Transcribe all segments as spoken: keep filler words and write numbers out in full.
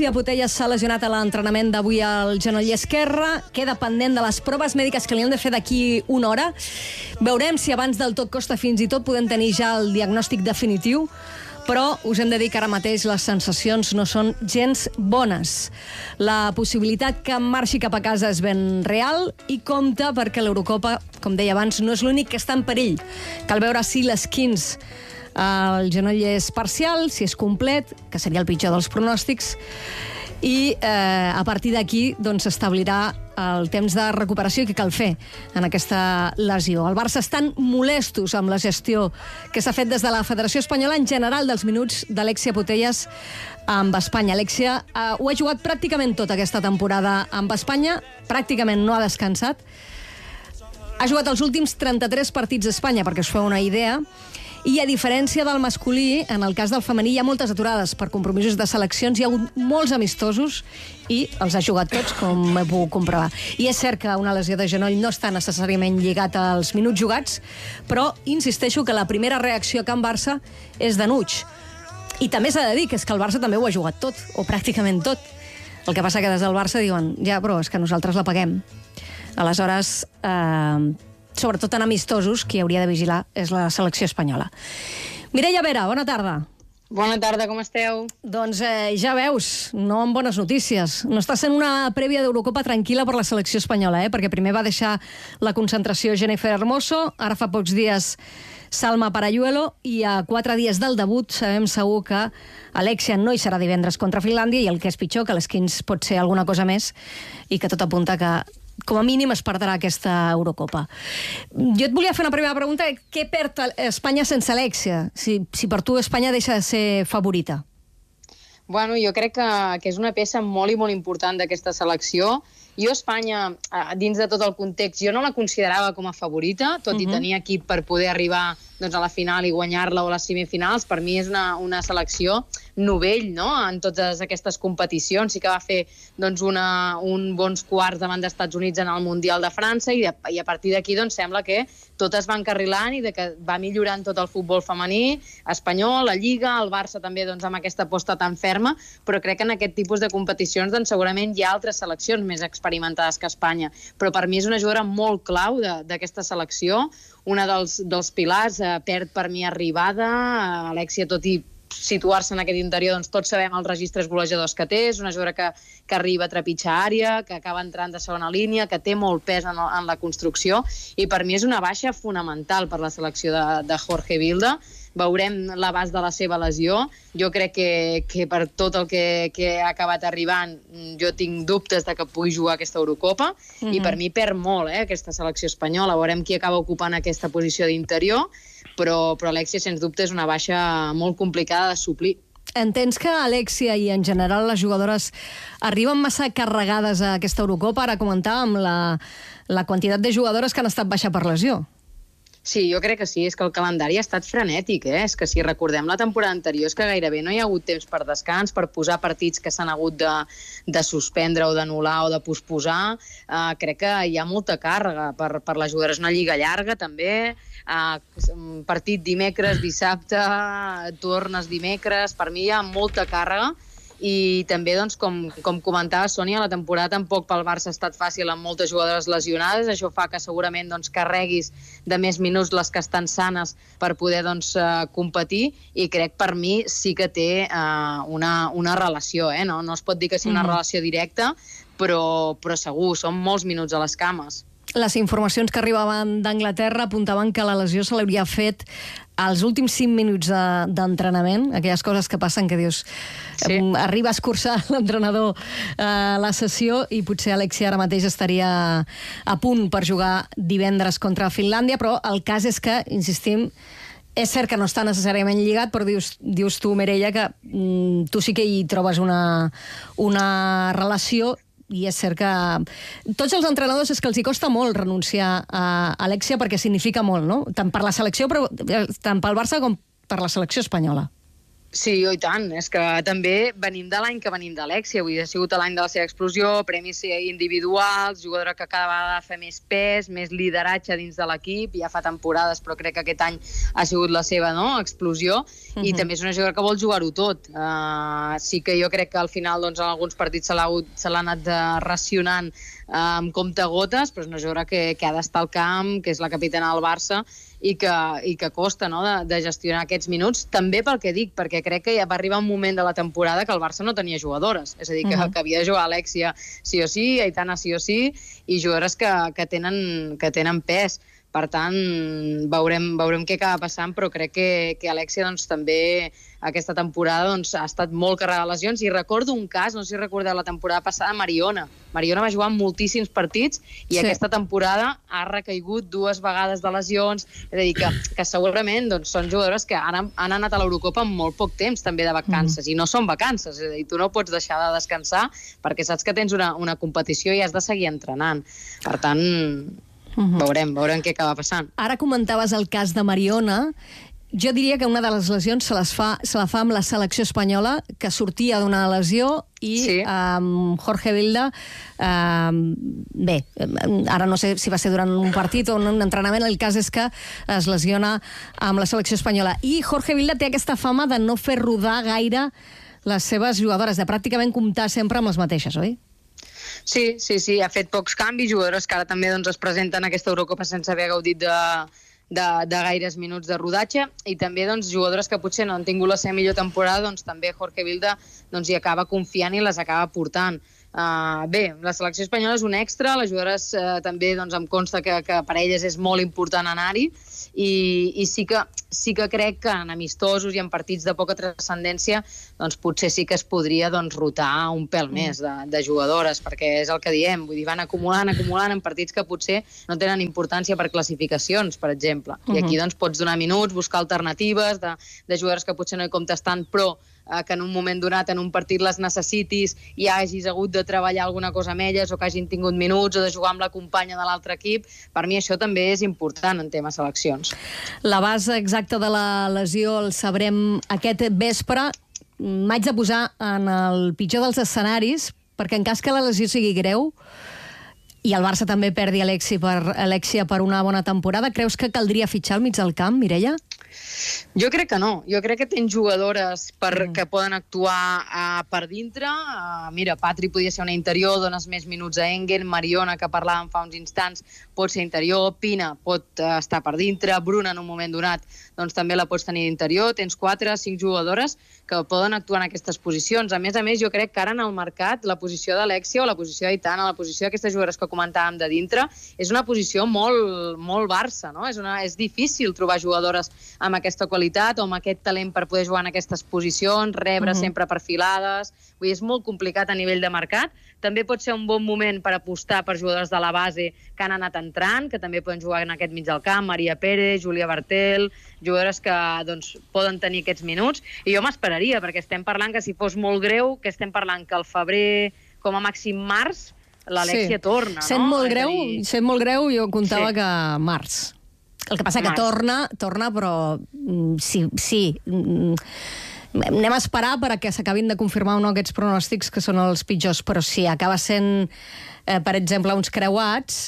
Alexia Putellas s'ha lesionat a l'entrenament d'avui al genoll esquerre. Queda pendent de les proves mèdiques que li han de fer d'aquí una hora. Veurem si abans del tot costa fins i tot podem tenir ja el diagnòstic definitiu, però us hem de dir que ara mateix les sensacions no són gens bones. La possibilitat que marxi cap a casa és ben real i compta perquè l'Eurocopa, com deia abans, no és l'únic que està en perill. Cal veure si l'esquinç el genoll és parcial, si és complet, que seria el pitjor dels pronòstics, i eh, a partir d'aquí doncs, s'establirà el temps de recuperació que cal fer en aquesta lesió. El Barça estan molestos amb la gestió que s'ha fet des de la Federació Espanyola en general dels minuts d'Alexia Putellas amb Espanya. Alexia eh, ho ha jugat pràcticament tota aquesta temporada amb Espanya, pràcticament no ha descansat. Ha jugat els últims trenta-tres partits d'Espanya, perquè us feu una idea, i a diferència del masculí, en el cas del femení hi ha moltes aturades per compromisos de seleccions, hi ha hagut molts amistosos i els ha jugat tots, com he pogut comprovar. I és cert que una lesió de genoll no està necessàriament lligat als minuts jugats, però insisteixo que la primera reacció a Can Barça és d'enuig. I també s'ha de dir que és que el Barça també ho ha jugat tot, o pràcticament tot. El que passa que des del Barça diuen, ja, però és que nosaltres la paguem. Aleshores, eh, sobretot en amistosos, qui hauria de vigilar és la selecció espanyola. Mireia Vera, bona tarda. Bona tarda, com esteu? Doncs eh, ja veus, no amb bones notícies. No està sent una prèvia d'Eurocopa tranquil·la per la selecció espanyola, eh? Perquè primer va deixar la concentració Jennifer Hermoso, ara fa pocs dies Salma Parayuelo, i a quatre dies del debut sabem segur que Alexia no hi serà divendres contra Finlàndia, i el que és pitjor, que l'esquinç pot ser alguna cosa més, i que tot apunta que com a mínim es perdrà aquesta Eurocopa. Jo et volia fer una primera pregunta. Què perd Espanya sense Alexia? Si, si per tu Espanya deixa de ser favorita. Bueno, jo crec que, que és una peça molt i molt important d'aquesta selecció. Jo, Espanya, dins de tot el context, jo no la considerava com a favorita, tot uh-huh. i tenir equip per poder arribar doncs, a la final i guanyar-la o a les semifinals. Per mi és una, una selecció novell, no?, en totes aquestes competicions. Sí que va fer doncs, una, un bons quarts davant dels Estats Units en el Mundial de França i, de, i a partir d'aquí doncs, sembla que tot es va encarrilant i de que va millorant tot el futbol femení espanyol, la Lliga, el Barça també doncs, amb aquesta aposta tan ferma, però crec que en aquest tipus de competicions doncs, segurament hi ha altres seleccions més experimentades que Espanya. Però per mi és una jugadora molt clau d'aquesta selecció, una dels, dels pilars, eh, perd per mi arribada, eh, Alexia, tot i situar-se en aquest interior, doncs tots sabem els registres golejadors que té, és una jugadora que, que arriba a trepitjar àrea, que acaba entrant de segona línia, que té molt pes en, en la construcció, i per mi és una baixa fonamental per la selecció de, de Jorge Vilda. Veurem l'abast de la seva lesió. Jo crec que, que per tot el que, que ha acabat arribant, jo tinc dubtes de que pugui jugar aquesta Eurocopa, mm-hmm. i per mi perd molt eh, aquesta selecció espanyola. Veurem qui acaba ocupant aquesta posició d'interior, però, però Alexia, sens dubte, és una baixa molt complicada de suplir. Entens que Alexia i en general les jugadores arriben massa carregades a aquesta Eurocopa? Ara comentàvem la, la quantitat de jugadores que han estat baixa per lesió. Sí, jo crec que sí, és que el calendari ha estat frenètic, eh? És que si recordem la temporada anterior és que gairebé no hi ha hagut temps per descans, per posar partits que s'han hagut de, de suspendre o d'anul·lar o de posposar. Uh, crec que hi ha molta càrrega per, per les jugadores. Una lliga llarga, també. Uh, partit dimecres, dissabte, tornes dimecres. Per mi hi ha molta càrrega. I també, doncs, com, com comentava Sònia, la temporada tampoc pel Barça ha estat fàcil amb moltes jugadores lesionades. Això fa que segurament doncs, carreguis de més minuts les que estan sanes per poder doncs, uh, competir, i crec per mi sí que té uh, una, una relació. Eh? No, no es pot dir que sigui una mm. relació directa, però, però segur, són molts minuts a les cames. Les informacions que arribaven d'Anglaterra apuntaven que la lesió se l'hauria fet als últims cinc minuts d'entrenament, de, aquelles coses que passen que dius, sí. eh, arriba a escurçar l'entrenador eh, la sessió, i potser Alexia ara mateix estaria a punt per jugar divendres contra Finlàndia, però el cas és que, insistim, és cert que no està necessàriament lligat, però dius, dius tu, Mireia, que mm, tu sí que hi trobes una, una relació. I és cert que tots els entrenadors és que els hi costa molt renunciar a Alexia perquè significa molt, no? Tant per la selecció, però tant pel Barça com per la selecció espanyola. Sí, oh, i tant. És que també venim de l'any que venim d'Alexia. Vull dir, ha sigut l'any de la seva explosió, premis individuals, jugadora que cada vegada fa més pes, més lideratge dins de l'equip. Ja fa temporades, però crec que aquest any ha sigut la seva, no?, explosió. Uh-huh. I també és una jugadora que vol jugar-ho tot. Uh, sí que jo crec que al final, doncs, en alguns partits se l'ha se l'ha anat racionant uh, amb comptagotes, però és una jugadora que, que ha d'estar al camp, que és la capitana del Barça, i que, i que costa, no?, de, de gestionar aquests minuts, també pel que dic, perquè crec que ja va arribar un moment de la temporada que el Barça no tenia jugadores, és a dir, que, uh-huh. que havia de jugar Alexia sí o sí, Aitana sí o sí, i jugadores que, que, tenen, que tenen pes. Per tant, veurem, veurem què acaba passant, però crec que, que Alexia doncs, també aquesta temporada doncs, ha estat molt carregada de lesions. I recordo un cas, no sé si recordeu la temporada passada, Mariona. Mariona va jugar moltíssims partits i sí. aquesta temporada ha recaigut dues vegades de lesions. És a dir, que, que segurament doncs, són jugadores que han, han anat a l'Eurocopa amb molt poc temps també de vacances, mm. i no són vacances. És a dir, tu no pots deixar de descansar perquè saps que tens una, una competició i has de seguir entrenant. Per tant... Uh-huh. Veurem, veurem què acaba passant. Ara comentaves el cas de Mariona. Jo diria que una de les lesions se, les fa, se la fa amb la selecció espanyola, que sortia d'una lesió i sí. um, Jorge Vilda, um, bé, ara no sé si va ser durant un partit o un entrenament, el cas és que es lesiona amb la selecció espanyola. I Jorge Vilda té aquesta fama de no fer rodar gaire les seves jugadores, de pràcticament comptar sempre amb les mateixes, oi? Sí, sí, sí, ha fet pocs canvis, jugadores que ara també doncs, es presenten a aquesta Eurocopa sense haver gaudit de, de, de gaires minuts de rodatge, i també doncs, jugadores que potser no han tingut la seva millor temporada, doncs també Jorge Vilda doncs, hi acaba confiant i les acaba portant. Uh, bé, la selecció espanyola és un extra, les jugadores uh, també doncs, em consta que, que per elles és molt important anar-hi, i, i sí, que, sí que crec que en amistosos i en partits de poca transcendència doncs potser sí que es podria doncs, rotar un pèl mm. més de, de jugadores, perquè és el que diem, vull dir, van acumulant, acumulant en partits que potser no tenen importància per classificacions, per exemple. Mm-hmm. I aquí doncs, pots donar minuts, buscar alternatives de, de jugadores que potser no hi comptes tant, però eh, que en un moment donat, en un partit les necessitis i hagis hagut de treballar alguna cosa amb elles, o que hagin tingut minuts, o de jugar amb la companya de l'altre equip. Per mi això també és important en temes seleccions. La base exacta de la lesió el sabrem aquest vespre. M'haig de posar en el pitjor dels escenaris, perquè en cas que la lesió sigui greu i el Barça també perdi Alexia per, Alexia per una bona temporada, creus que caldria fitxar al mig del camp, Mireia? Jo crec que no. Jo crec que tens jugadores per, mm. que poden actuar uh, per dintre. Uh, mira, Patri podia ser una interior, dones més minuts a Engen, Mariona, que parlàvem fa uns instants, pot ser interior, Pina pot uh, estar per dintre, Bruna en un moment donat doncs també la pots tenir d'interior. Tens quatre, cinc jugadores que poden actuar en aquestes posicions. A més a més, jo crec que ara en el mercat la posició d'Alexia o la posició d'Aitana, la posició d'aquestes jugadores que comentàvem de dintre, és una posició molt, molt Barça, no? És, una, és difícil trobar jugadores amb aquesta qualitat o amb aquest talent per poder jugar en aquestes posicions, rebre uh-huh. sempre perfilades. Vull dir, és molt complicat a nivell de mercat. També pot ser un bon moment per apostar per jugadors de la base que han anat entrant, que també poden jugar en aquest mig del camp, Maria Pérez, Júlia Bartel, jugadores que doncs, poden tenir aquests minuts. I jo m'esperaria, perquè estem parlant que si fos molt greu, que estem parlant que al febrer, com a màxim març, l'Alexia sí. torna. Sent no? molt greu, dir... sent molt greu, jo comptava sí. que març. El que passa que torna, torna, però sí, sí. Anem a esperar perquè s'acabin de confirmar o no aquests pronòstics que són els pitjors, però si acaba sent, eh, per exemple, uns creuats...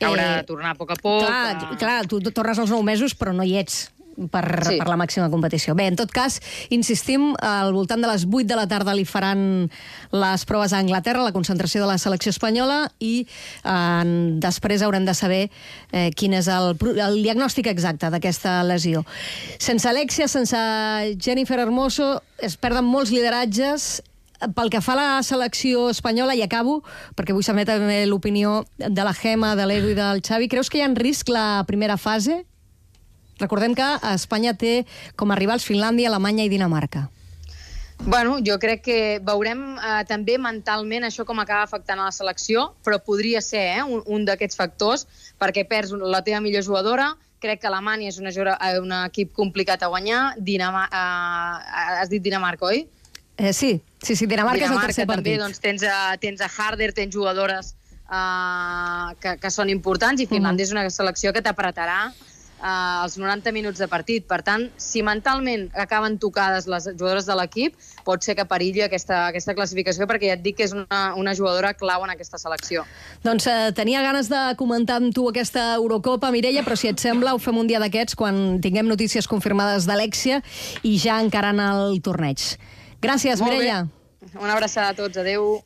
Haurà eh, de tornar a poc a poc. Clar, a... clar tu tornes als nou mesos, però no hi ets per, sí. per la màxima competició. Bé, en tot cas, insistim, al voltant de les vuit de la tarda li faran les proves a Anglaterra, la concentració de la selecció espanyola, i eh, després haurem de saber eh, quin és el, el diagnòstic exacte d'aquesta lesió. Sense Alexia, sense Jennifer Hermoso, es perden molts lideratges. Pel que fa a la selecció espanyola, i acabo, perquè vull saber també l'opinió de la Gemma, de l'Edu i del Xavi, creus que hi ha en risc la primera fase? Recordem que Espanya té com a rivals Finlàndia, Alemanya i Dinamarca. Bueno, jo crec que veurem eh, també mentalment això com acaba afectant a la selecció, però podria ser eh, un, un d'aquests factors, perquè perds la teva millor jugadora. Crec que Alemanya és una, un equip complicat a guanyar. Dinamar eh, has dit Dinamarca, oi? Eh, sí, sí, sí, Dinamarca, Dinamarca és el tercer partit. També, doncs, tens, a, tens a Harder, tens jugadores uh, que, que són importants, i Finlàndia uh-huh. és una selecció que t'apretarà Uh, els noranta minuts de partit. Per tant, si mentalment acaben tocades les jugadores de l'equip, pot ser que perilli aquesta, aquesta classificació, perquè ja et dic que és una, una jugadora clau en aquesta selecció. Doncs eh, tenia ganes de comentar amb tu aquesta Eurocopa, Mireia, però si et sembla ho fem un dia d'aquests quan tinguem notícies confirmades d'Alexia i ja encarant el torneig. Gràcies, Mireia. Una abraçada a tots. Adéu.